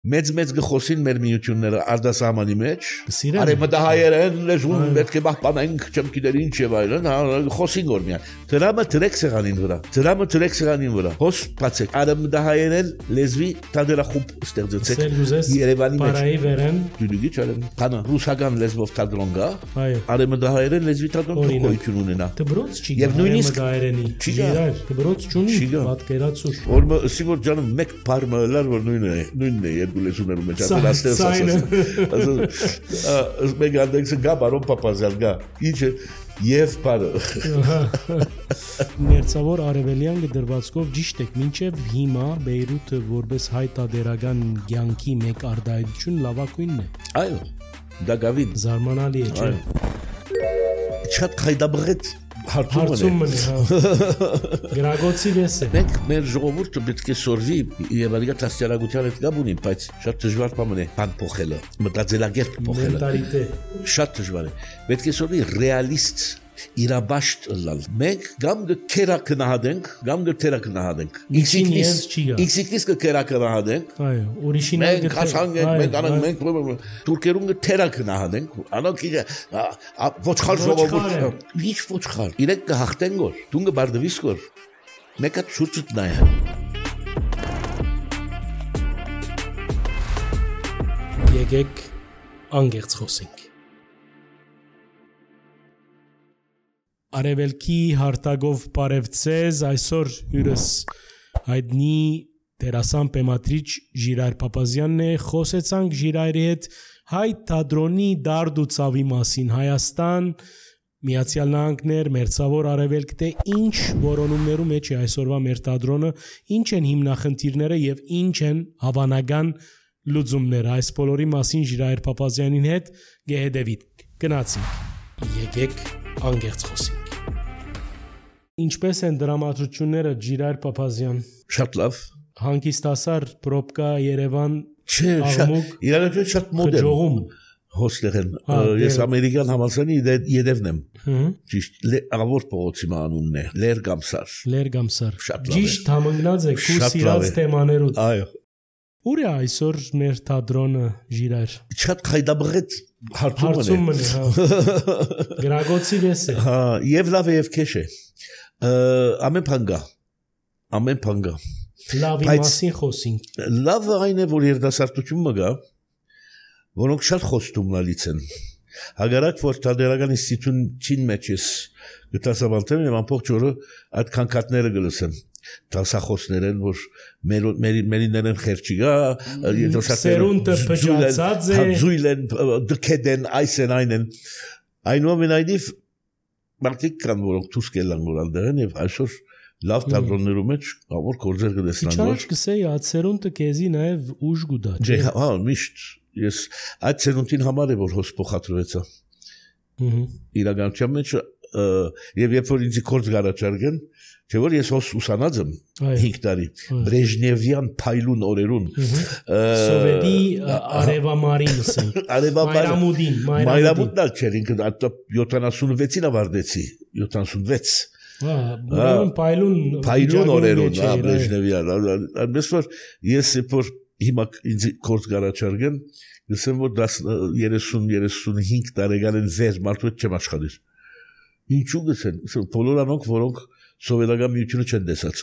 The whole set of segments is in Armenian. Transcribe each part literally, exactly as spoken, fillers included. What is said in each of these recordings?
մեծ-մեծ գխոսին մեր միությունները արտասահմանի մեջ, արևմտահայերեն լեզուն պետք է պահպանենք, չեմ գիտեր ինչ եւ այլն, խոսին որ միայն։ Դրամը դրեք սեղանին վրա, դրամը դրեք սեղանին վրա։ Հոս բացեք, արևմտահայերեն լեզվի տադրախումբ ստեղծեցեք Երևանի մեջ։ Բարայի վերեն։ Դուլուգի չարեմ։ Կանա ռուսական լեզվով տադրոն գա, արևմտահայերեն լեզվի տադրոն գոյություն ունենա։ Դբրոց չի գա արևմտահայերենի։ Չգիտեր, դբրոց չունի, պատկերացուր։ Որ սիգուր ջանը մեկ բառը լար որ նույնն է, նույնն է երկու լեզուներում մեջ ապելաստես ասած։ Մեկ անդեքսը գա բարոն Պապազյան գա։ Ինչ է եւ բարը։ Մերձավոր արևելյան դրվածքով ճիշտ եք, մինչև հիմա Բեյրութը որպես հայտարարական ցանկի մեկ արդայություն լավակույնն է։ Այո, դա գավին զարմանալի է, չէ՞։ Շատ խայդաբղետ հարցում է, գրագոցի վես է։ Մենք մեր ժողովուրդը պետք է սորվի եւ ալիգա տասյարագության հետ գաբ ունի, բայց շատ դժվար բան է բան փոխելը, մտածելակերպ փոխելը։ Մենտալիտետ։ Շատ դժվար է։ Պետք է սորվի ռեալիստ իրաբաշտ լալ։ Մենք գամ կերակը նահատենք, գամ կերակը նահատենք։ Իքսիկնիս կերակը նահատենք։ Այո, ուրիշին մենք քաշանգենք, մենք անենք, մենք թուրքերուն կերակը նահատենք։ Անոնք ոչխար ժողովուրդ, ինչ ոչխար։ Իրենք կհաղթեն գոր, դու կբարդվիս գոր։ Մեկը շուրջդ նայ։ Եկեք անգերց խոսենք։ Արևելքի հարտագով բարևձեզ այսօր հյուրս հայտնի դերասան պեմատրիչ Ժիրայր Փափազյանն է, խոսեցանք Ժիրայրի հետ հայ թատրոնի դարդ ու ցավի մասին, Հայաստան, Միացյալ Նահանգներ, Մերձավոր Արևելք, թե ինչ որոնումներու մեջ է այսօրվա մեր թատրոնը, ինչ են հիմնախնդիրները եւ ինչ են հավանական լուծումները։ Այս բոլորի մասին Ժիրայր Փափազյանին հետ գեհդեվիտ գնացինք։ Եկեք անգերց խոսենք։ Ինչպես են դրամատրությունները Ժիրայր Փափազյան։ Շատ լավ։ Հանկիստասար պրոբկա Երևան չէ, իրականություն շատ մոդեռն հոստեղ են։ Ես ամերիկյան համալսարանի յետևն եմ։ Ճիշտ ավոր փողոցի անունն է, Լերգամսար։ Լերգամսար։ Շատ լավ։ Ճիշտ համընկած է քու սիրած թեմաներով։ Այո։ Ուր է այսօր մեր թատրոնը Ժիրայր։ Շատ խայդաբղետ հարցում է։ Գրագոցի վես է։ Հա, եւ լավ է եւ քեշ է։ Ամեն բան գա։ Ամեն բան գա։ Լավի մասին խոսենք։ Լավը այն է, որ երիտասարդությունը գա, որոնք շատ խոստումնալից են։ Հագարակ որ թատերական ինստիտուտին մեջ ես գտասաբանտեմ եւ ամբողջ օրը այդ քանքատները գլսեմ։ Տասախոսներ են, որ մերիներեն խերճի գա, սերունդը փճացած է, ձույլ են, դքեդ են, այս են, այն են։ Այնուամենայնիվ մարդիկ կան, որոնք դուրս կելան որ անդեղ են եւ այսօր լավ թատրոններու մեջ ավոր գործեր կտեսնան որ։ Ինչ կսեի, այդ սերունդը քեզի նաեւ ուժ գուտա։ Չէ, հա, միշտ ես այդ սերունդին համար է որ հոս փոխադրվեցա։ Իրականության մեջ եւ երբ որ ինձ գործ գարաչարգեն, չէ որ ես հոս ուսանած եմ հինգ տարի Բրեժնևյան փայլուն օրերուն Սովետի արևամարին ասենք Մայրամուդին Մայրամուդն չէր ինքը յոթանասունվեցին ավարտեցի յոթանասունվեց Ուրեմն փայլուն փայլուն օրերուն հա Բրեժնևյան այնպես որ ես որ հիմա ինձ գործ գարաչարգեն գսեմ որ երեսուն երեսունհինգ տարեկան են վեր մարդու հետ չեմ աշխատիր ինչու գսեն բոլոր անոնք որոնք սովետական միությունը չեն տեսած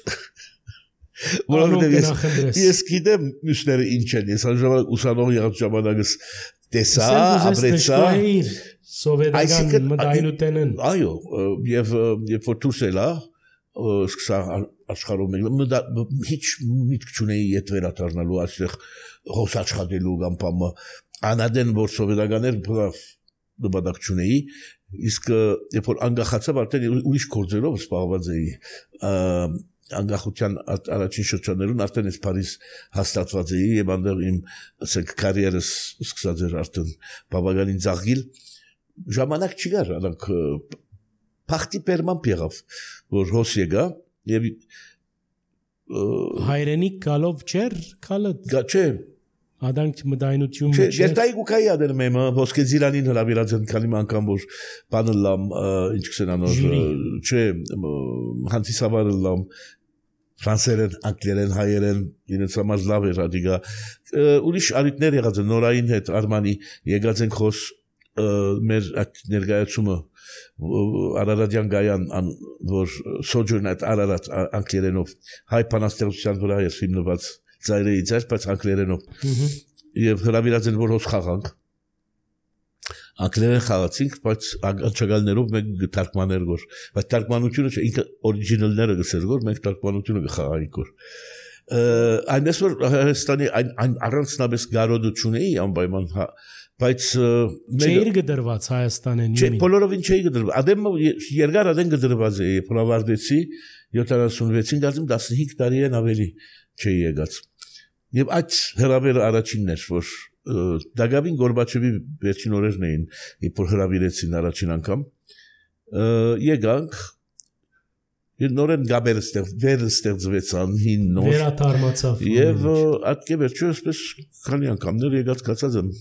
որովհետև ես գիտեմ մյուսները ինչ են ես անժամանակ ուսանող եղած ժամանակս տեսա ապրեցա սովետական մտայնութենն այո եւ երբ որ դուրս ելա սկսա աշխարհում ինչ միտք չունեի իդ վերադառնալու այստեղ հոս աշխատելու կամ բամը անադեն որ սովետականներ նպատակ չունեի իսկ երբ որ անկախացավ արդեն ուրիշ գործերով զբաղված էի անկախության առաջին շրջաններուն արդեն ես Փարիզ հաստատված էի եւ այնտեղ իմ ասենք կարիերս սկսած էր արդեն բավականին ծաղկիլ ժամանակ չկար անք փախտի պերման եղավ որ հոս եկա եւ հայրենիք գալով չեր քալը չէ Adank մտայնություն չէ երթայի գուկայի ադերում եմ ոսկե զիրանին հրավիրած են քանի անգամ որ բանը լամ ինչ կսեն անոր չէ հանդիսավարը լամ ֆրանսերեն, անգլերեն, հայերեն, իրենց համար լավ էր ադիգա։ Ուրիշ արիտներ եղած են նորային հետ Արմանի եկած են խոս մեր այդ ներկայացումը Արարատյան Գայան որ Sojourn at Ararat անգլերենով հայ բանաստեղծության վրա էր հիմնված ծայրից էր, բայց անգլերենով։ Եվ հրավիրած են որ հոս խաղանք անգլերեն խաղացինք, բայց աջակալներով մենք թարգմաներ գոր, բայց թարգմանությունը չէ, ինքը օրիջինալները գսեր գոր, մենք թարգմանությունը գխաղայինք գոր։ Այնպես որ Հայաստանի այն առանձնապես գարոդություն էի անպայման, բայց չէր գդրված Հայաստանեն։ Չէ, բոլորովին չէի գդրված։ Ադեմ երկար ադեն գդրված էի, փորավարտեցի յոթանասունվեցին, դասում տասնհինգ տարի են ավելի չէի եկած։ Եվ այդ հրավերը առաջինն էր, որ Դագավին Գորբաչովի վերջին օրերն էին, իբր հրավիրեցին առաջին անգամ, եկանք, նորեն գաբերը ստեղծվեցան, հին նոր, վերաթարմացավ, և ատկե վերջը ասպես քանի անգամներ եկած կացած եմ,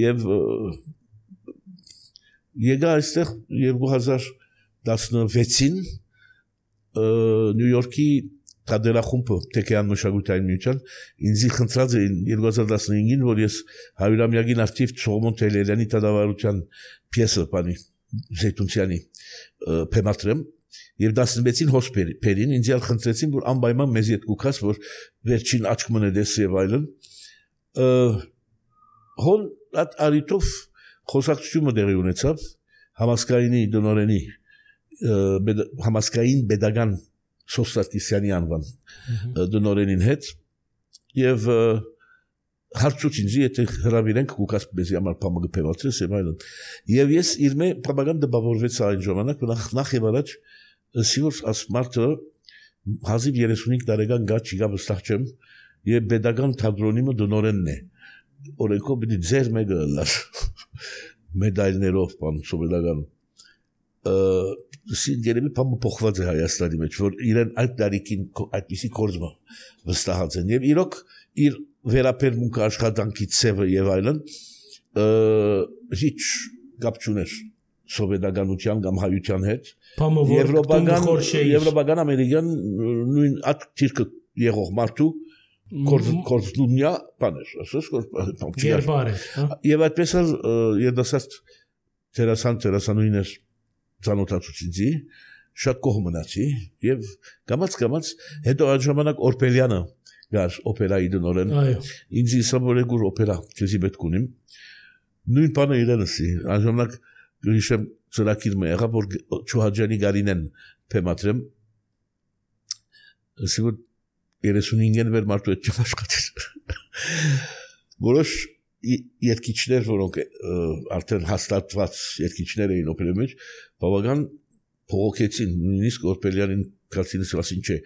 և եկա այստեղ երկու հազար տասնվեցին Նյու Յորքի Թադերախումբը Թեքեյան մշակութային միության ինձի խնդրած էին երկու հազար տասնհինգին որ ես հարյուրամյակին արդիվ Սողոմոն Թեհլերյանի տադավարության պիեսը բանի Զեյթունցյանի փեմատրեմ եւ տասնվեցին հոսպերին ինձ ալ խնդրեցին որ անպայման մեզ հետ կուքաս որ վերջին աչք մնեդես եւ այլն հոն այդ արիտով խոսակցությունը դեղի ունեցավ համասկայինի դոնորենի համասկային pedagogan Սոստատիսյանի անվան դնորենին հետ և հարցուց ինձի եթե հրավիրենք կուկաս մեզի համար պամը գպևացրես և այլն և ես իր մե պրապագան դպավորվեց այն ժամանակ նախ և առաջ սիվոր աս մարդը հազիվ երեսունհինգ տարեկան գա չիգա վստահ չեմ և pedagogan թատրոնիմը դնորենն է օրենքով պիտի ձեր մեկը լար մեդայլներով պան սովետական Գերեմի պամը փոխված է Հայաստանի մեջ, որ իրեն այդ տարիքին այդպիսի կորձմը վստահած են և իրոք իր վերապերմունքը աշխատանքի ցևը և այլն հիչ կապ չուներ սովետականության կամ հայության հետ եվրոպական ամերիկյան նույն այդ թիրքը եղող մարդու կորձնունյա բաներ և այդպես էլ երդասարդ տերասան տերասանույներ ծանոթացուցինձի, շատ կողմ մնացի և կամաց-կամաց հետո այդ ժամանակ Օրպելյանը գար օպերայի դնորեն, ինձ իսա որ էգուր օպերա քեզի պետք ունիմ, նույն բանը իրենսի, այդ ժամանակ գրիշեմ ծրակիր մը եղա, որ Չուհաջյանի Գարինեն փեմատրեմ, ասի որ երեսունհինգեն վեր մարդու հետ չեմ աշխատիր, որոշ երկիչներ, որոնք արդեն հաստատված երկիչներ էին օպերայի մեջ, բավական փողոքեցին, նույնիսկ Օրպելյանին կացինս ասին չէ,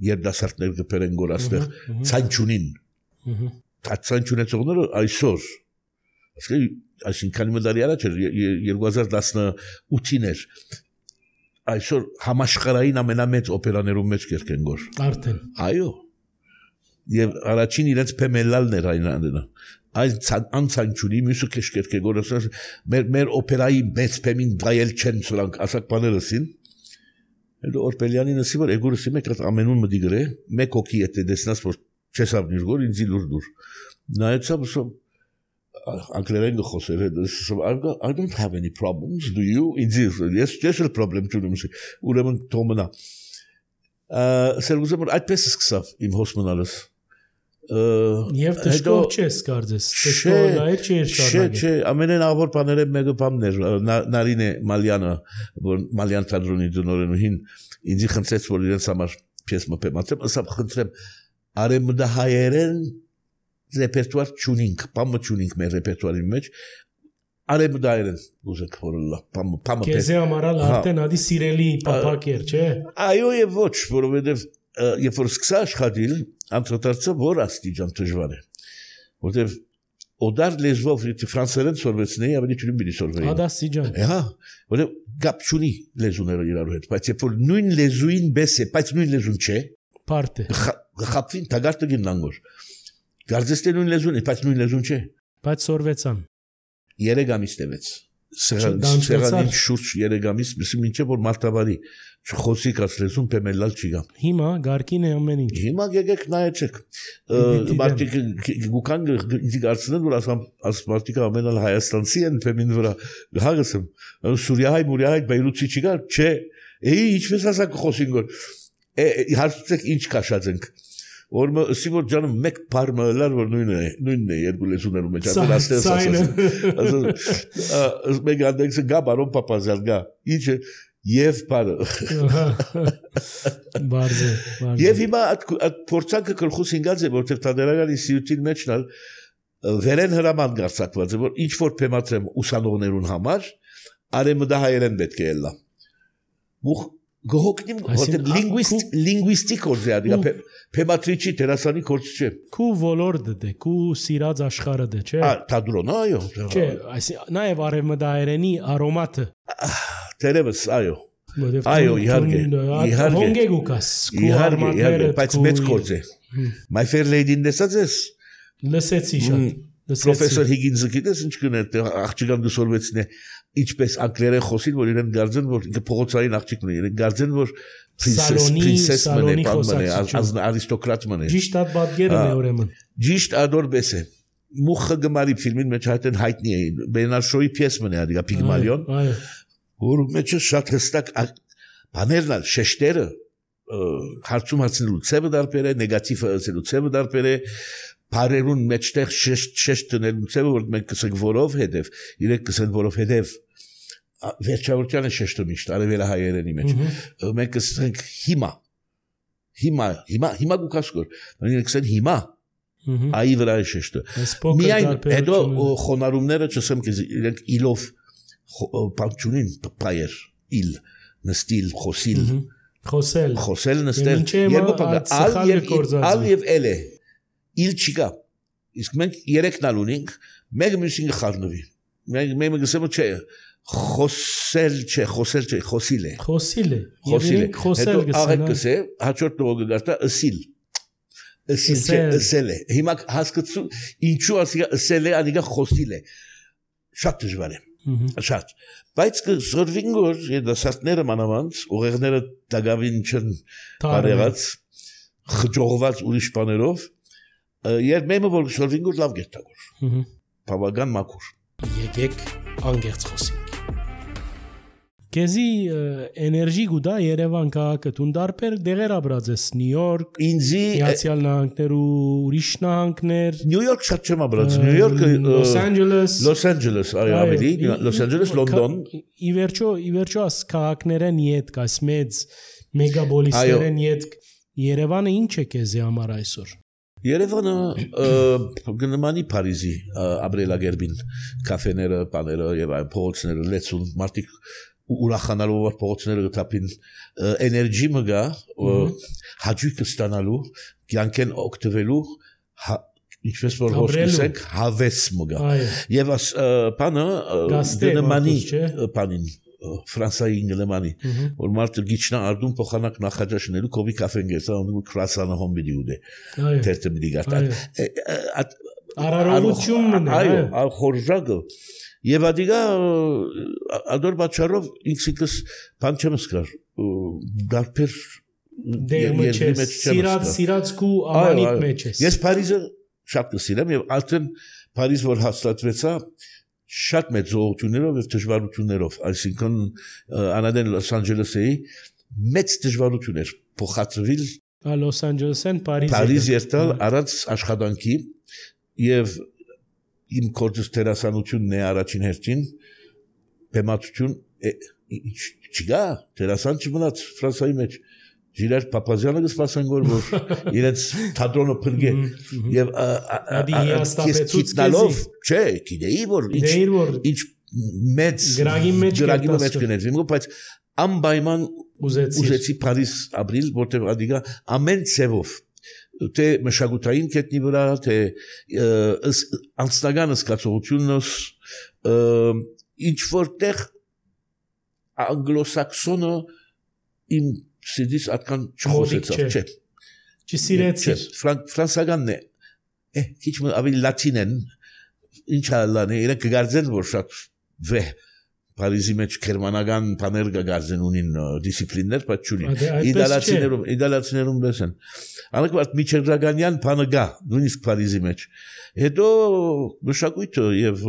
երդասարտներ գպերեն գոր աստեղ, ցայն չունին։ Այդ ցայն չունեցողները այսօր, այսինքան մդարի առաջ էր, երկու հազար տասնութին էր, այսօր համաշխարհային ամենամեծ օպերաներում մեջ կերկեն գոր։ Արդեն։ Այո։ Եվ առաջին իրենց փեմելալն էր այն անենա։ Այս անցանչունի մյուսը կեշկերկե գորսած մեր օպերայի մեծ փեմին վայել չեն սրանք ասակ բաներսին հետո Օրպելյանին ասի որ էգորսի մեկ այդ ամենուն մդի գրե մեկ օքի եթե դեսնաս որ չեսավ նիրգոր ինձի լուր դուր նայեցավ սո անգլերեն գխոսեր I don't have any problems do you ինձի ես ես problem չունեմ ուրեմն թոմնա սերգուզը որ այդպես սկսավ իմ հոսմնալս Եվ դժկով չես կարծես, դժկով լայր չէր շարունակել։ Չէ, չէ, ամենեն աղբոր բաները մեկը բամն էր, Նարինե Մալյանը, որ Մալյան թատրոնի դնորենուհին ինձի խնդրեց, որ իրենց համար պիես մը փեմատրեմ, ասա խնդրեմ, արեմդահայերեն ռեպերտուար չունինք, բամը չունինք մեր ռեպերտուարի մեջ, արեմդահայերեն ուզեք որլա, բամը բամը։ Քեզի համարալ արդեն ադի սիրելի պապակ էր, չէ։ Այո եւ ոչ, որովհետեւ երբ որ սկսա աշխատել, անդրադարձա որ աստիճան դժվար է, որտեվ օդար լեզվով ֆրանսերեն սորվեցնեի, ավելի չունի բիլի սորվեի։ Ադաստիճան։ Հա, որտեվ գապ չունի լեզուները իրարու հետ, բայց երբ որ նույն լեզուին բես է, բայց նույն լեզուն չէ։ Պարտ է։ Խապվին տագարտը գիննանգոր։ Գարձես թե նույն լեզուն է, բայց նույն լեզուն չէ։ Բայց սորվեցան։ Երեք ամիս տևեց։ Սեղանին շուրջ երեք ամիս, մինչև որ մարտավարի Չխոսիկ ասլեսում պեմելալ չի գամ։ Հիմա գարկին է ամեն ինչ։ Հիմա գեգեք նայեցեք։ Մարդիկ գուքան ինձ արցնեն որ ասամ ասպարտիկը ամենալ Հայաստանցի են պեմին վրա հագասım Սուրիայ մուրիայ Բեյրութի չի գա չէ էի ինչպես ասակ խոսին որ հարցրեք ինչ քաշած ենք որ սիվոր ջանը մեկ բառը լար որ նույնն է նույնն է երկու լեզուներում մեջ ապա աստես ասած մեկ անդեքս գա բարոն Պապազյան գա ինչ Եվ բարը Բարզե Եվ հիմա այդ փորձանքը գլխուս ինգած է որտեղ տադերականի սիուտին մեջնալ վերեն հրաման գարցակված է որ ինչ որ փեմատրեմ ուսանողներուն համար արեմը դա հայերեն պետք է ելնա Մուխ գողոքնիմ որտեղ լինգվիստ լինգվիստիկ կորձ է դիգա փեմատրիչի դերասանի կորձ չէ Քու ոլորտը դե քու սիրած աշխարհը դե չէ Ա տադրոնա այո Չէ այս նաև արեմը դա հայերենի արոմատը Տերևս, այո, այո, իհարգե, իհարգե, հոնգեգ ուկաս, իհարգե, իհարգե, բայց մեծ կորձ է, My Fair Lady-ն դեսած ես, լսեցի շատ, Պրոֆեսոր Հիգինսը գիտես ինչ կներ, աղջիկան դուսորվեցին է, ինչպես անգլերեն խոսին, որ իրեն գարձեն, որ փողոցային աղջիկն է, իրեն գարձեն, որ պրինսես մն է, պան մն է, արիստոկրատ մն է, Ճիշտ այդ բատգերը է ուրեմն, Ճիշտ ադորբես է, Մուխը գմարի ֆիլմին մեջ հայտեն հայտնի է, Բենարշոյի պիես մն է, ադիգա Պիգմալիոն, որ մեջը շատ հստակ բաներն ալ շեշտերը հարցում հարցնելու ցևը դարբեր է նեգատիվը ասելու ցևը դարբեր է բարերուն մեջտեղ շեշտ շեշտ տնելու ցևը որ մենք կսենք որով հետև իրենք կսեն որով հետև վերջավորությանը շեշտը միշտ արևելա հայերենի մեջ մենք կսենք հիմա հիմա հիմա հիմա գուկասկոր մենք կսենք հիմա այ վրա է շեշտը միայն հետո խոնարհումները չսեմ իրենք իլով Պանչունին պայեր, իլ, նստիլ, խոսիլ, խոսել, խոսել նստել, երկու պակը, ալ և էլ է, իլ չիկա, իսկ մենք երեքնալ ունինք, մեկ մյուսինը խարնվի, մենք գսեմ չէ, խոսել չէ, խոսել չէ, խոսիլ է, խոսիլ է, խոսիլ է, խոսել հետո աղեկ գսե, հաչորդ նողը գարտա, ըսիլ, ըսիլ չէ, ըսել է, հիմա հասկացու, ինչու ասիգա ըսել է, անիգա խոսիլ է, շատ դժվար է Շատ, բայց կզորվին որ երդասարտները մանավանց, ուղեղները դագավին չն բարեղած, խջողված ուրիշ բաներով, երբ մեմը որ զորվին որ լավ գետագոր, բավական մաքուր Եկեք անգերց խոսենք Կեզի էներգի գուդա Երևան քաղաքը տուն դարբեր դեղեր ապրած ես Նյու Յորք, Միացյալ Նահանգներ ու ուրիշ նահանգներ Նյու Յորք շատ չեմ ապրած Նյու Յորքը Լոս Անջելես Լոս Անջելես այո ավելի Լոս Անջելես Լոնդոն Ի վերջո ի վերջո աս քաղաքներեն իդ կաս մեծ մեգապոլիսներեն իդ Երևանը ինչ է քեզի համար այսօր Երևանը գնմանի Փարիզի ապրելագերբին կաֆեները, բաները եւ այլ փողոցները լեցուն մարդիկ ուրախանալու որ փողոցները գտապին էներգի մգա հաջույքը ստանալու կյանքեն օգտվելու ինչպես որ հոսքսենք հավես մգա եւ աս բանը գնմանի բանին Ֆրանսայի ինգլեմանի որ մարդը գիչնա արդում փոխանակ նախաճաշնելու կոբի կաֆեն գեսա ու քրասանը հոմբիդի ուդե թերթը մի գարտա արարողությունն է այո խորժակը եւ ադիգա ադոր բաչարով ինքսիկս բան չեմ սկար դարբեր դերմեջ սիրած սիրած կու ամանիտ մեջ է ես Փարիզը շատ կսիրեմ եւ արդեն Փարիզ որ հաստատվեցա շատ մեծ զողություններով եւ դժվարություններով այսինքն անադեն Լոս Անջելեսի մեծ դժվարություններ փոխադրվել Լոս Անջելեսեն Փարիզ Փարիզ երթալ առանց աշխատանքի եւ իմ կորձս տերասանությունն է առաջին հերթին բեմատություն չգա տերասան չմնաց Ֆրանսայի մեջ Ժիրար Պապազյանը գսպասեն որ որ իրենց թատրոնը փրկե եւ կիսկիտնալով չէ գիտեի որ ինչ մեծ գրագի մեջ գրագի մեջ կներվի բայց անպայման ուզեցի Փարիզ ապրիլ որտեղ ադիգա ամեն ցևով թե մշակութային կետնի վրա թե անձնական զգացողությունս ինչ որտեղ անգլոսաքսոնը իմ Սիդիս ատկան չխոսեցավ, չէ։ Չսիրեցիր։ Ֆրանսականն է, է, քիչ ավելի լատին են, ինչ ալան է, իրենք կգարձեն, որ շատ վեհ Փարիզի մեջ գերմանական բաներ գազեն ունին դիսցիպլիններ, բայց չունի։ Իտալացիներում, իտալացիներում դեսեն։ Անկվարդ Միչելրագանյան բանը գա, նույնիսկ Փարիզի մեջ։ Հետո մշակույթը եւ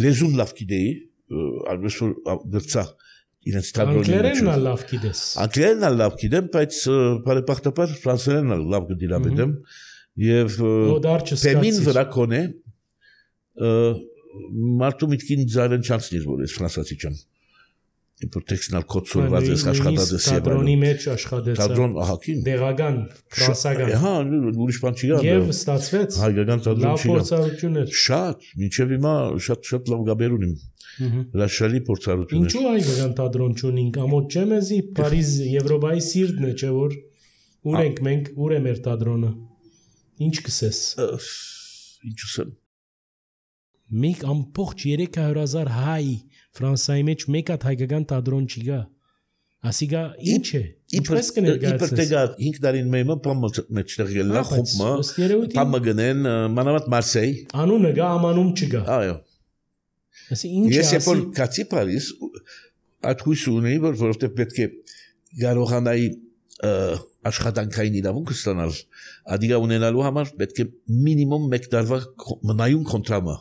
լեզուն լավ գիտեի, արվեստը դրծա իրենց թատրոնի մեջ։ Անգլերենն էլ լավ գիտես։ Անգլերենն էլ լավ գիտեմ, բայց բարեբախտաբար ֆրանսերենն էլ լավ գդիրաբեդեմ եւ թեմին վրա կոնե մարդու միտքին զարեն չանցնիր որ ես ֆրանսացի չեմ։ Իպոթեքսնալ կոդսորված ես աշխատած ես եւ թատրոնի մեջ աշխատեցա։ Թատրոն ահակին։ Դեղական, ֆրանսական։ Հա, ուրիշ բան չի գա։ Եվ ստացվեց։ Հայկական թատրոն չի գա։ Լավ փորձառություններ։ Շատ, մինչեւ հիմա շատ-շատ լավ գաբեր ունիմ։ Հրաշալի փորձառություններ։ Ինչու հայկական թատրոն չունենք, ամոթ չեմ էզի Փարիզ Եվրոպայի սիրտն է, չէ՞ որ ուր ենք մենք, ուր է մեր թատրոնը։ Ինչ կսես։ Ինչ ասեմ։ Մեկ ամբողջ երեք հարյուր հազար հայ Ֆրանսիայի մեջ մեկ հատ հայկական թատրոն չի գա։ Ասիգա ինչ է։ Ինչպես կներկայացնես։ Իբր տեգա հինգ տարին մեմը պամը մեջտեղ ելնա խումբը։ Պամը գնեն մանավանդ Մարսեյ։ Անունը գա, ամանում չգա։ Այո։ Ասի ինչ է։ Ես երբ կացի Փարիզ, այդ հույսը ունեի, որ որովհետև պետք է կարողանայի աշխատանքային իրավունք ստանալ, ադիգա ունենալու համար պետք է մինիմում մեկ տարվա մնայուն կոնտրամը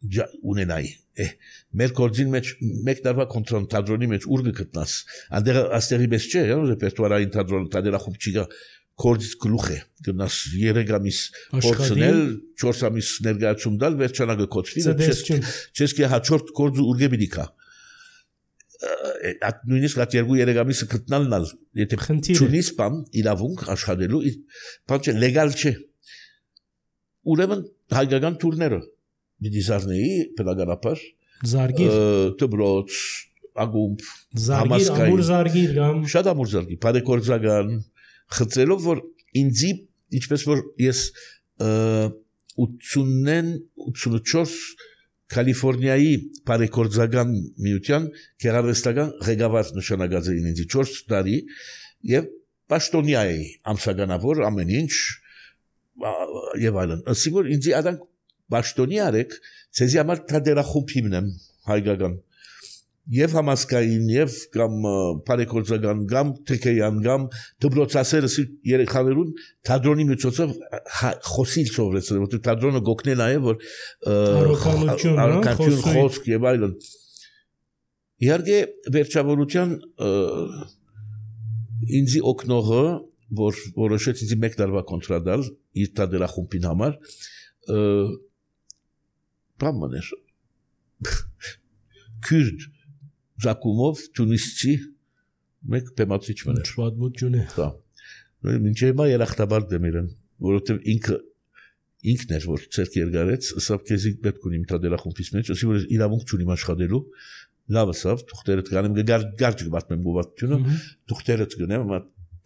ունենայի։ Մեր կորձին մեջ մեկ տարվա կոնտրոն թատրոնի մեջ ուր գտնաս։ Անդեղ աստեղի պես չէ, ռեպերտուարային թատրոն, թատերախումբ չի գա, կորձից գլուխ է, գնաս երեք ամիս փորձնել, չորս ամիս ներկայացում դալ, վերջանագը կոչվի, չես կե հաջորդ կորձը ուր գեբիդի կա։ Այդ նույնիսկ այդ երկու երեք ամիսը գտնալն ալ, եթե չունիս բան իրավունք աշխատելու, բան չէ, լեգալ չէ։ Ուրեմն հայկական տուրները դիզարնեի պետագանապար Զարգիր Տբրոց ագումբ Զարգիր ամուր զարգիր գամ շատ ամուր զարգիր բարեկորձական խծելով որ ինձի ինչպես որ ես ութսունն ութսունուչորս Կալիֆոռնիայի բարեկորձական միության գեղարվեստական ղեկավար նշանակած էին ինձի չորս տարի եւ պաշտոնյա էի ամսականավոր ամեն ինչ եւ այլն ասի որ ինձի արանք Բաշտոնի արեք, ցեզի համար թատերախումբ հիմնեմ հայկական եւ համասկային եւ կամ բարեկորձական կամ թեքեյան կամ դբրոցասերս երեխաներուն թատրոնի միջոցով խոսիլ սովորեցնել որ թատրոնը գոքնել է որ արքայություն խոսք եւ այլն իհարկե վերջավորության ինձի օկնողը որ որոշեց ինձի մեկ տարվա կոնտրադալ իր թատերախումբին համար Պամաներ Քուրդ Զակումով Թունիսցի մեկ պեմացիչ մներ պատմություն է հա մինչև հիմա երախտաբար դեմիրեն որովհետև ինքը ինքն էր որ ցերկ երգարեց սավ քեզի պետք ունի մտադերախումբից մեջ ասի որ իրավունք չունիմ աշխատելու լավ ասավ թուղթերդ գանեմ գար գարջ գտնում գովատությունը թուղթերդ գնեմ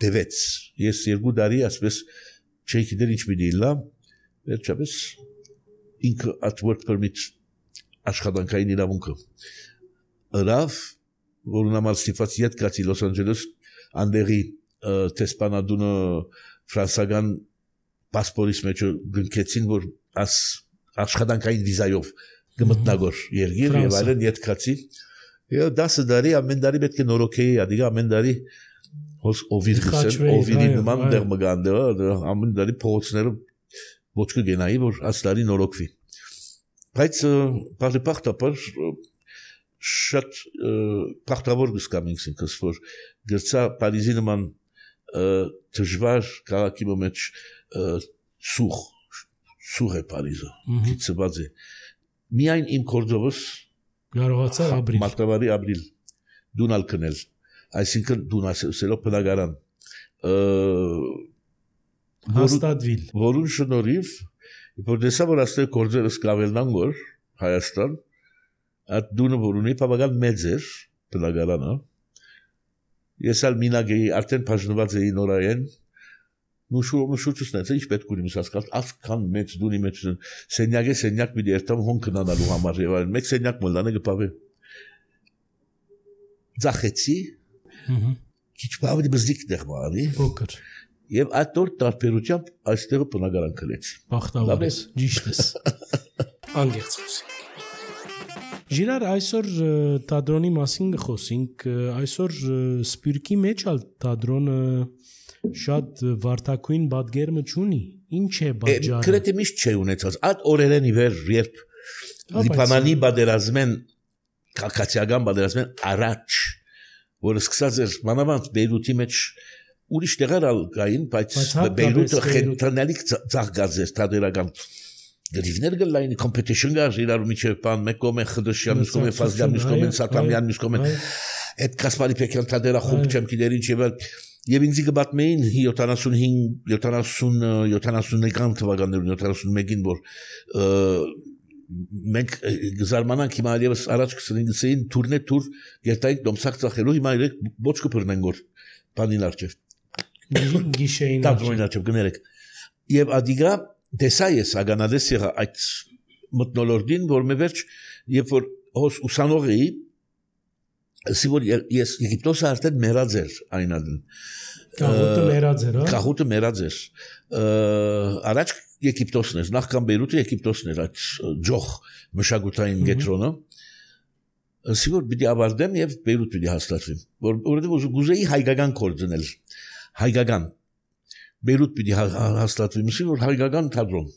դևեց ես երկու տարի ասպես չէի գիտեր ինչ պիտի լա վերջապես ինքը at work permit աշխատանքային իրավունքը ըրավ որն համար ստիպված ետ գացի Լոս Անջելես անդերի տեսպանադունը ֆրանսական պասպորիս մեջ գնքեցին որ աս աշխատանքային վիզայով գմտնագոր երգիր եւ այլն ետ գացի եւ դասը դարի ամեն դարի պետք է նորոքեի ադիգա ամեն դարի հոս օվիր գսեն օվիրի նման դեր մգանդը ամեն դարի փողոցները ոչ կգենայի որ աստարի նորոքվի բայց բարեբախտաբար շատ բախտավոր գսկամ ինքս որ գրծա Փարիզի նման դժվար քաղաքի մեջ սուղ սուղ է Փարիզը գիծված է միայն իմ կորձովս կարողացա ապրիլ մարտավարի ապրիլ դունալ կնել այսինքն դունասելով բնակարան հաստատվիլ որուն շնորհիվ որ դեսա որ աստեղ կորձերս կավելնան որ Հայաստան այդ դունը որ ունի բավական մեծ էր բնակարանը ես ալ մինագեի արդեն բաժնված էի նորայեն նուշուչուսնեց ինչ պետք ունի մսասկալ ասքան մեծ դունի մեջ սենյակը սենյակ մի դերտամ հոն կնանալու համար եւ այլն մեկ սենյակ մոլանը գպավե ձախեցի քիչ բավարի բզիկ դեղ բարի փոքր եւ այդ տոր տարբերությամբ այստեղը բնակարան կլեց բախտավոր ես ճիշտ ես անգերց խոսենք Ժիրար այսօր տադրոնի մասին գխոսինք, այսօր Սպյուրքի մեջ ալ տադրոնը շատ վարդակույն բադգերմը չունի, ինչ է բաժարը։ Գրեթե միշտ չէ ունեցած, այդ օրերեն ի վեր, երբ Լիբանանի բادرազմեն, քաղաքացիական բادرազմեն առաջ, որը սկսած էր մանավանդ Բեյրութի մեջ ուրիշ տեղեր ալ կային, բայց Բեյրութը խենթանալիք ծաղկած էր տադերական գրիվներ գլային, competition գար, իրար միջև բան, մեկ կողմեն Խդշյան, մյուս կողմեն Ֆազլյան, մյուս կողմեն Սատամյան, մյուս կողմեն այդ Կասպարի Պեկյան տադերա խումբ չեմ գիտեր ինչ եւ Եվ ինձ գտմին յոթանասունհինգ յոթանասուն թվականներում յոթանասունմեկին որ մենք զարմանանք հիմա այլևս առաջ կսնգցեին թուրնե թուր գետայք դոմսակ ծախելու հիմա իրեք ոչ կփռնեն գոր բանին արջև գիշեին արջև գներեք եւ ադիգա դեսա ես ագանադես եղա այդ մտնոլորդին որ մե վերջ երբ որ հոս ուսանող էի Սիվոր ես Եգիպտոսը արդեն մեռած էր այնադն Կահուտը մեռած էր, հա։ Կահուտը մեռած էր։ Առաջ Եգիպտոսն էր, նախքան Բեյրութը Եգիպտոսն էր այդ ջոխ մշակութային գետրոնը։ Սիվոր պիտի ավարտեմ եւ Բեյրութ պիտի հաստատվեմ։ Որ որովհետեւ գուզեի հայկական կորձնել։ Հայկական Բեյրութ պիտի հաստատվեմ, սիվոր հայկական թատրոն։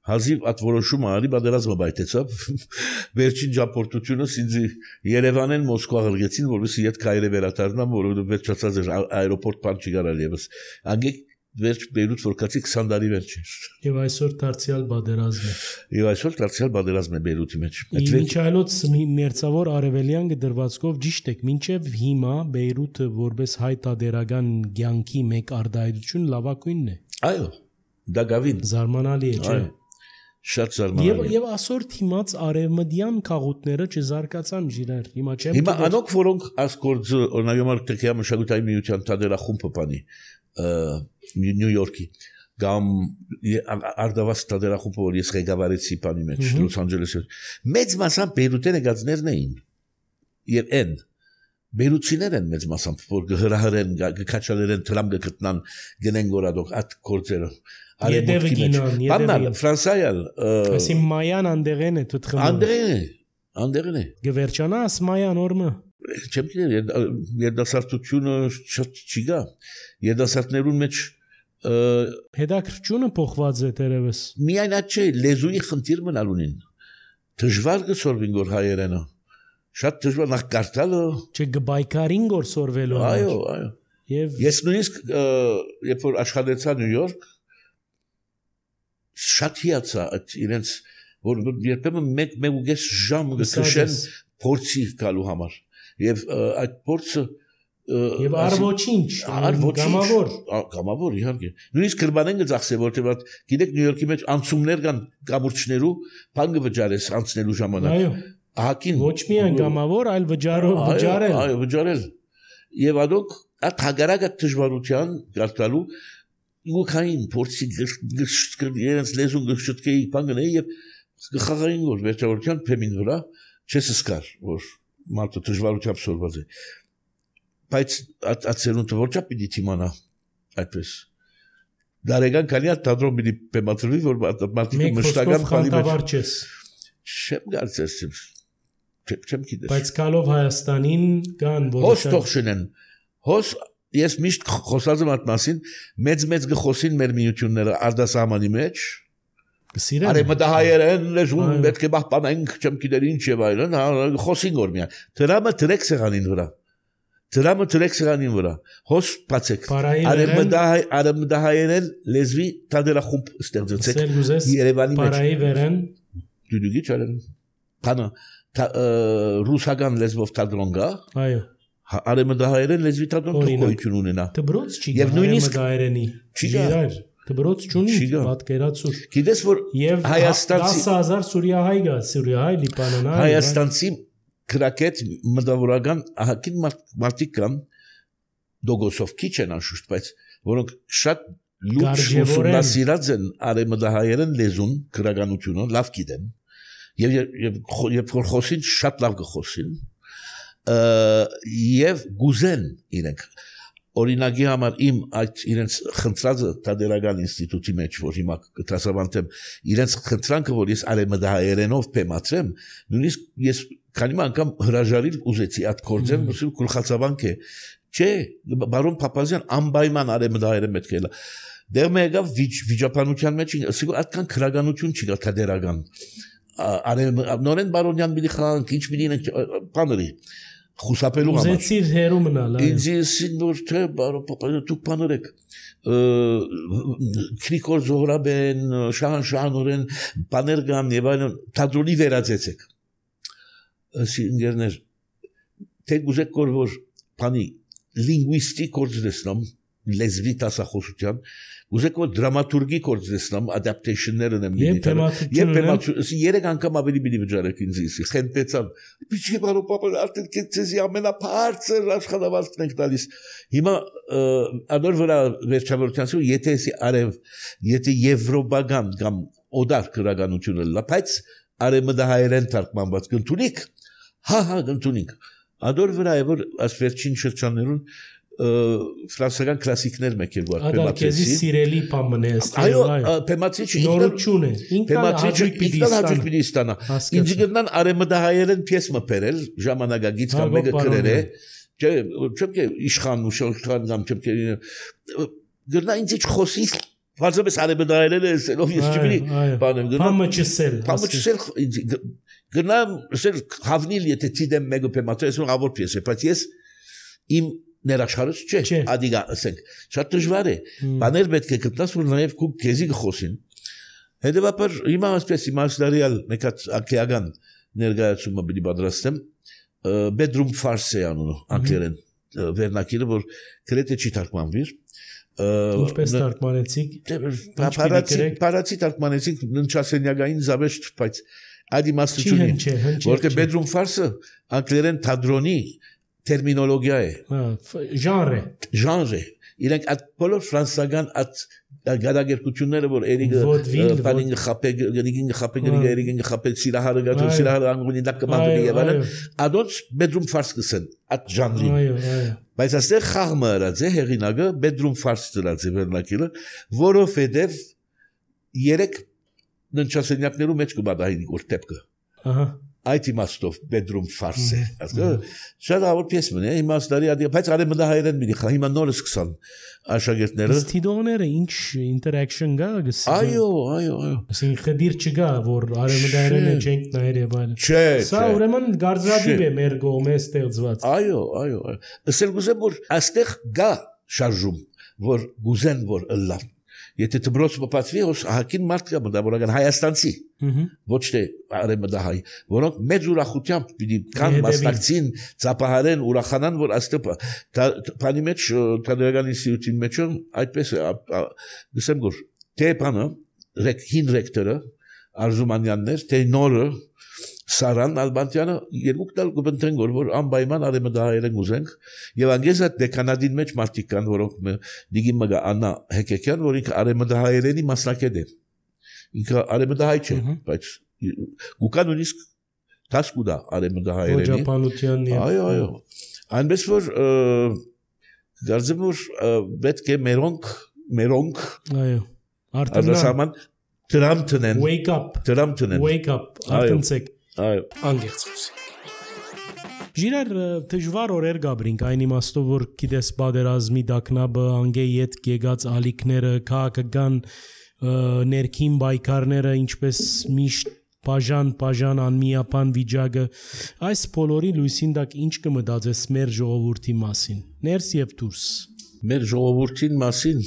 Հազիվ այդ որոշումը արի բادرազմը բայտեցավ վերջին ճապորտությունը ինձ Երևանեն Մոսկվա ղրգեցին որովհետեւ իդ քայլը վերադառնամ որովհետեւ վերջացած էր аэроպորտ բան չի գարալ եւս անգեք վերջ Բեյրութ որքացի քսան տարի վերջ էր եւ այսօր դարձյալ բادرազմ է եւ այսօր դարձյալ բادرազմ է Բեյրութի մեջ Միչայելոց մերձավոր արևելյան դրվածքով ճիշտ եք մինչեւ հիմա Բեյրութը որպես հայ տադերական ցանկի մեկ արդայություն լավակույնն է այո դա գավին զարմանալի է չէ Շատ զարմանալի։ Եվ եւ այսօր թիմած արևմտյան քաղուտները չզարգացան ժիրար։ Հիմա չեմ Հիմա անոնք որոնք ասկորձ օրնայոմար տեքիա մշակութային միության տադերախումբը բանի Նյու Յորքի կամ արդավաս տադերախումբը որ ես ղեկավարեցի բանի մեջ Լոս Անջելեսի մեծ մասամբ Բեյրութեն եկածներն էին եւ են Բեյրութցիներ են մեծ մասամբ որ հրահրեն գքաչալերեն տրամ գտնան գնեն գորադող այդ կորձերը Յետևը գինան, յետևը Ֆրանսայալ Այսի մայան անդեղեն է թթխմը Անդեղեն է, անդեղեն է Գվերջանա աս մայան օրմը Չեմ գիտեր, երդասարտությունը շատ չի գա Երդասարտներուն մեջ Հետաքրքրությունը փոխված է տերևս Միայն այդ չէ, լեզուի խնդիր մնալ ունին Դժվար գսորվին գոր հայերենը Շատ դժվար նախ կարդալը Չէ գբայկարին գոր սորվելու Այո, այո Ես նույնիսկ երբ որ աշխատեցա Նյու Յորք Շատ հիացա այդ իրենց որ երբեմն մեկ մեկ ուղես ժամ գքշեն փորձի գալու համար եւ այդ փորձը եւ արվոչինչ գամավոր գամավոր իհարկե նույնիսկ գրբանեն գծախսե որտեղ այդ գիտեք Նյու Յորքի մեջ անցումներ կան կամուրջներու բան կվճարես անցնելու ժամանակ այո ահակին ոչ միայն գամավոր այլ վճարով վճարել այո վճարել եւ adok այդ հագարակը դժվարության գարտալու Ուքային փորձի գշկերից լեզուն գշտկեի բանգնեի եւ գխաղային որ վերջավորության փեմին վրա չես սկար որ մարդը դժվարությամբ սորված է բայց ացերունը որչա պիտի թիմանա այդպես դարեգան քանի հատ տադրոն պիտի պեմատրվի որ մարդիկը մշտական բանի մեջ չեմ գալցես չեմ գիտես բայց կալով Հայաստանին կան որ հոս թողշնեն հոս Ես միշտ խոսած եմ այդ մասին, մեծ-մեծ գխոսին մեր միությունները արդասահմանի մեջ, արևմտահայերեն լեզուն պետք է պահպանենք, չեմ գիտեր ինչ եւ այլն, խոսին որ միայն։ Դրամը դրեք սեղանին վրա։ Դրամը դրեք սեղանին վրա։ Հոս բացեք։ Արևմտահայերեն լեզվի տադերախումբ ստեղծեցեք Երևանի մեջ։ Բարայի վերեն դուդուգի չարեն։ Բանը ռուսական լեզվով տադրոն գա։ Այո։ Արեմդահայերեն լեզվի տադրոն գոյություն ունենա։ Դբրոց չի գա արեմդահայերենի։ Չգիտեր։ Դբրոց չունի պատկերացուր։ Գիտես որ Հայաստանցի դասը հազար սուրիահայ գա, սուրիահայ լիբանանայ։ Հայաստանցի քրակետ մտավորական ահագին մարդիկ կան դոգոսով քիչ են անշուշտ, բայց որոնք շատ լուրջ ուսումնասիրած են արեմդահայերեն լեզուն, քրականությունը լավ գիտեն։ Եվ երբ որ խոսին շատ լավ կխոսին։ Եվ գուզեն իրենք օրինակի համար իմ այդ իրենց խնդրածը տադերական ինստիտուտի մեջ, որ հիմա կտրասավանդեմ, իրենց խնդրանքը, որ ես արևմտահայերենով պեմացրեմ, նույնիսկ ես քանի անգամ հրաժարիլ ուզեցի այդ կորձեմ, ուսում գլխացավանք է, չէ, բարոն Փափազյան անպայման արևմտահայերեն պետք է լա։ Դեռ մեկավ վիճապանության մեջ, ասիկո այդքան քրագանություն չկա տադերական։ Նորեն բարոնյան մի խանք, ինչ մի դինենք, պաների, խուսապելու համար։ Ուզեցիր հերու մնալ, այո։ Ինձ իսին որ թե բարոն Փափազյան դուք պաներեք, Գրիգոր Զոհրաբեն, Շահանշահանորեն, պաներ գան եւ այլն, թատրոնի վերածեցեք։ Ասի ընկերներ, թե գուզեք կոր որ բանի լինգվիստիկ կորձնեսնամ, լեզվի տասախոսության, գուզեք որ դրամատուրգի կորձնեսնամ, ադապտեյշններ ունեմ Եվ Եվ պեմացություն, երեք անգամ ավելի բիլի վճարեք ինձ իսի, խենտեցան, պիչի բարոն Փափազյան, արդեն կեցեզի ամենապարծր աշխատավարձքն ենք տալիս։ Հիմա անոր վրա վերջավորության եթե արև, եթե եվրոպական կամ օդար քրագանությունը լա, բայց արևմտահայերեն թարգմանված կընդունիք, հա հա կընդունիք։ Անոր վրա է որ աս վերջին շրջաններուն ֆրանսական կլասիկներ մեկել որ Ադարկեզի սիրելի բամն է այո պեմացիչը նորություն է պեմացիչը ինքնան հաջող պիտի ստանա ինձ գտնան արևմտահայերեն պիես մփերել ժամանակագից կամ մեկը գրել է չէ չեմ իշխան ու շոշխան կամ չեմ գտնա ինձ իջ խոսի Վարձապես արևմտահայերեն է ով ես չգիտի բանեմ գնա բամը չսել բամը չսել գնա սել հավնիլ եթե ցիդեմ մեկը պեմացիչը ավոր պիես է բայց ես իմ ներաշխարհս չէ, ադիգա ասենք, շատ դժվար է, բաներ պետք է գտնաս, որ նաև քու քեզի գխոսին։ Հետևաբար հիմա ասպես իմաստարիալ մեկած ակեական ներկայացումը պիտի պատրաստեմ, bedroom farce անունը անգլերեն վերնակիրը, որ գրեթե չի թարգմանվիր։ Ինչպես թարգմանեցիք։ Պարացի թարգմանեցիք ննչասենյակային զավեշտ, բայց այդ իմաստություն է, որտեղ bedroom farce անգլերեն թատրոնի terminologia է genre genre իրենք այդ բոլոր ֆրանսական այդ գադագերկությունները որ երիգը բանին խապե գնին խապե գնին երիգին խապե սիրահարը գածո սիրահարը անգունի դակմանդի եւ այլն adults bedroom farce կսեն այդ ժանրին բայց այստեղ խաղը ըրած է հեղինակը bedroom farce դրած է վերնակիրը որովհետեւ երեք ննչասենյակներու մեջ կբադահի որ տեպկը ահա Այդ իմաստով bedroom farce է, շատավոր պիես մնի, իմաստարի ադի, բայց արևմտահայերեն մի խա, հիմա նորը սկսան աշակերտները։ Ստիդոները ինչ interaction գա գսի։ Այո, այո, այո։ Այսինքն խդիր չգա, որ արևմտահայերենը չենք նայել եւ այլն։ Չէ, Սա ուրեմն գարձադիվ է մեր գոմե ստեղծված։ Այո, այո, այո։ Ասել գուզեմ որ այստեղ գա շարժում, որ գուզեն որ ըլլա։ Եթե դբրոց մպացվի, ոս հակին մարդ կա մտավորական հայաստանցի, ոչ թե արևմտահայ, որոնք մեծ ուրախությամբ պիտի կան մասնակցին, ծափահարեն, ուրախանան, որ այստեղ բանի մեջ տադերական ինստիտուտի մեջ այդպես է, գսեմ որ թե բանը հին ռեկտորը Արզումանյանն էր, թե նորը Սարան Ալբանտյանը երկուք տալ կբնթեն որ անպայման արևմտահայերեն ուզենք եւ անգեզ այդ դեկանադին մեջ մարդիկ կան որոնք դիգի մգա Աննա Հեկեկյան որ ինքը արևմտահայերենի մասնակետ է ինքը արևմտահայ չէ բայց գուկան նույնիսկ տասկուդա արևմտահայերենի Ջապանությանն այո այո այնպես որ դարձեմ որ պետք է մերոնք մերոնք այո արտանան դրամ տնեն wake up դրամ տնեն wake up արտընցեք Այո, անգերց խոսենք։ Ժիրար դժվար օրեր գաբրինք այն իմաստով որ գիտես բادرազմի դակնաբը անգեի հետ գեգած ալիքները քաղաքական ներքին բայկարները ինչպես միշտ բաժան բաժան անմիապան վիճակը այս բոլորի լույսին դակ ինչ կմտածես մեր ժողովրդի մասին ներս եւ դուրս մեր ժողովրդին մասին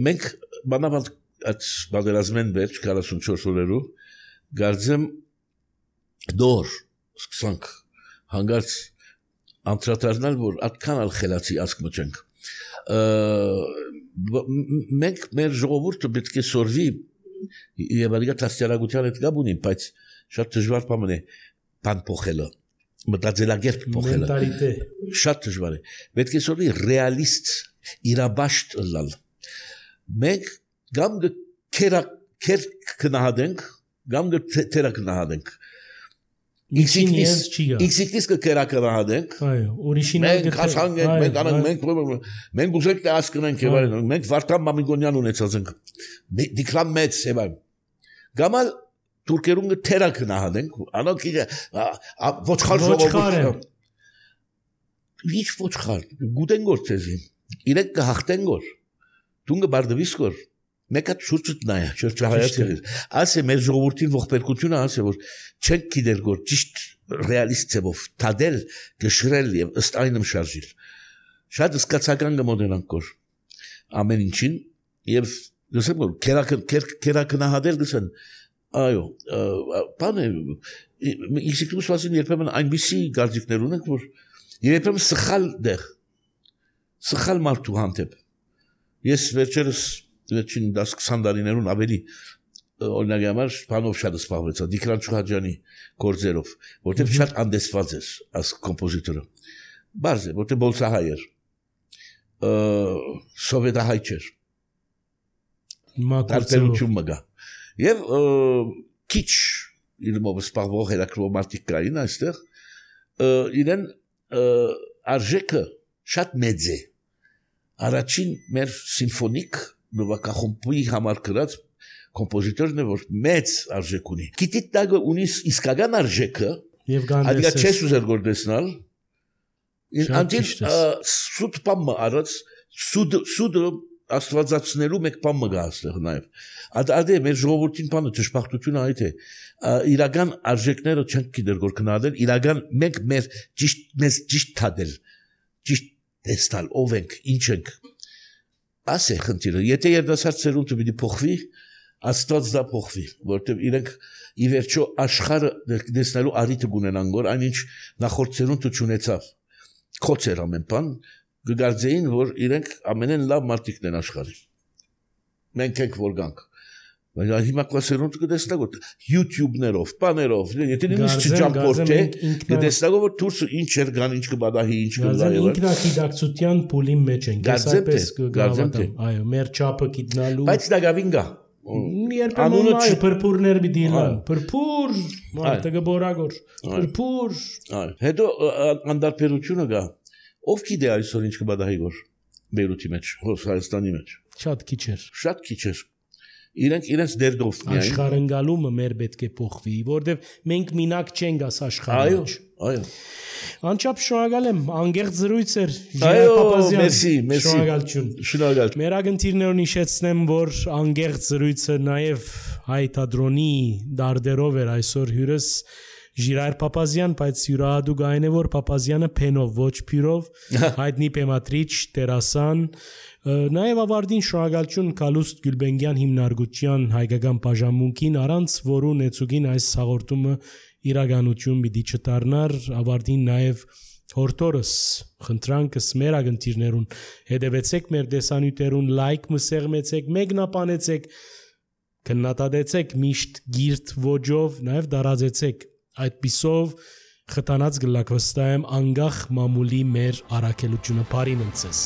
մենք բանավանդ այդ բادرազմեն վերջ քառասունչորս օրերու գարձեմ դոր սկսանք հանգարց անդրադառնալ որ այդքան ալ խելացի ասկ մճենք մենք մեր ժողովուրդը պետք է սորվի եւ ալիգա տասյարագության հետ գաբ ունի բայց շատ դժվար բան է բան փոխելը մտածելակերպ փոխելը մենտալիտե շատ դժվար է պետք է սորվի ռեալիստ իրաբաշտ լալ մենք գամ կերա կեր կնահատենք գամ թերա կնահատենք X-ից կերակրահատենք։ Այո, ուրիշին մենք հասանք, մենք անենք, մենք մենք ուզենք թե հասկնենք եւ այլն։ Մենք Վարդան Մամիկոնյան ունեցած ենք։ Դիքլամ մեծ եւ այլն։ Գամալ թուրքերուն թերակնահատենք, անոնք ոչխար ժողովուրդ։ Ինչ ոչխար, գուտեն գոր ցեզի։ Իրենք կհաղթեն գոր։ Դունը բարդվիս գոր։ Մեկը շուրջդ նայա, շրջահայացել։ Ասե մեր ժողովրդին ողբերգությունը ասե որ չենք գիտեր որ ճիշտ ռեալիստ ցեվով թադել գշրել եւ ըստ այնմ շարժիլ։ Շատ սկացական գմոդենանք գոր ամեն ինչին եւ գսեմ որ կերակնահատել գսեն այո բանը ինստիտուտ վասին երբեմն այնպիսի գարձիկներ ունենք որ երբեմն սխալ դեղ սխալ մարդու հանդեպ ես վերջերս Վերջին դաս քսան տարիներուն ավելի օրինակի համար բանով շատ սպառվեցա Դիկրան Չուհաջյանի գործերով, որտեղ շատ անդեսված էր as կոմպոզիտորը։ Բարձ է, որտեղ բոլսահայ էր, սովետահայ չէր։ Տարբերություն մգա։ Եվ քիչ իրմով սպառվող հերակրող մարդիկ կային այստեղ, իրեն արժեքը շատ մեծ է։ Առաջին մեր սիմֆոնիկ նովակախումբի համար գրած կոմպոզիտորն է որ մեծ արժեք ունի։ Գիտի տագը ունի իսկական արժեքը եւ գանդես։ Այդ չես ուզեր գործնալ։ Անտիլ սուտ պամը արած սուդ սուդը աստվածացնելու մեկ պամը գա այստեղ նաեւ։ Ադե մեր ժողովրդին բանը ճշմարտությունը այդ է։ Իրական արժեքները չենք գիտեր որ գնահատել, իրական մենք մեր ճիշտ մեզ ճիշտ թադել։ Ճիշտ տեսնել ով ենք, ինչ ենք։ Ասե խնդիրը, եթե երդասարդ սերունդը պիտի փոխվի, Աստված դա փոխվի, որտեղ իրենք ի վերջո աշխարհը դեսնելու առիթը ունենան, որ այնինչ նախորդ սերունդը չունեցավ։ Քոծեր ամեն բան, կգարձեին, որ իրենք ամենեն լավ մարդիկն են աշխարհի։ Մենք ենք որ գանք։ Բայց հիմա կլասերունդը կդեսնակ որ YouTube-ներով, բաներով, եթե նույնիսկ չջամփորդ է, կդեսնակ որ դուրսը ինչ էր գան, ինչ կբադահի, ինչ կգա եւ ինքնագիտակցության փուլի մեջ են, այսպես կգավատամ։ Այո, մեր չափը գիտնալու։ Բայց դա գավին գա։ Երբեմն այ փրփուրներ մի դիլան, փրփուր, մարդը գբորագոր, փրփուր։ Այո, հետո անդարբերությունը գա։ Ով գիտե այսօր ինչ կբադահի որ Բեյրութի մեջ, Հայաստանի մեջ։ Շատ քիչ էր։ Շատ քիչ էր։ Իրենք իրենց դերդով միայն աշխարհընկալումը մեր պետք է փոխվի, որովհետև մենք մինակ չենք աս աշխարհի մեջ։ Այո, այո։ Անչափ շնորհակալ եմ, անգերտ զրույց էր Ժիրայր Պապազյան։ Մերսի, մերսի։ Շնորհակալություն։ Շնորհակալ։ Մեր ագնտիրներուն հիշեցնեմ, որ անգերտ զրույցը նաև հայ թատրոնի դարդերով էր այսօր հյուրս Ժիրայր Պապազյան, բայց յուրահատուկ այն է, որ Պապազյանը փենով ոչ փյուրով, հայտնի պեմատրիչ, տերասան, նաև ավարտին շնորհակալություն Կալուստ Գյուլբենգյան հիմնարկության հայկական բաժանմունքին, առանց որու նեցուգին այս հաղորդումը իրականություն պիտի չդառնար, ավարտին նաև հորտորս խնդրանքս մեր ագնտիրներուն հետևեցեք մեր դեսանյութերուն, լայք մսեղմեցեք, մեկնաբանեցեք, քննադատեցեք միշտ գիրտ ոճով, նաև դարածեցեք այդպիսով խթանած գլակվստայեմ անգախ մամուլի մեր առաքելությունը բարին ընծես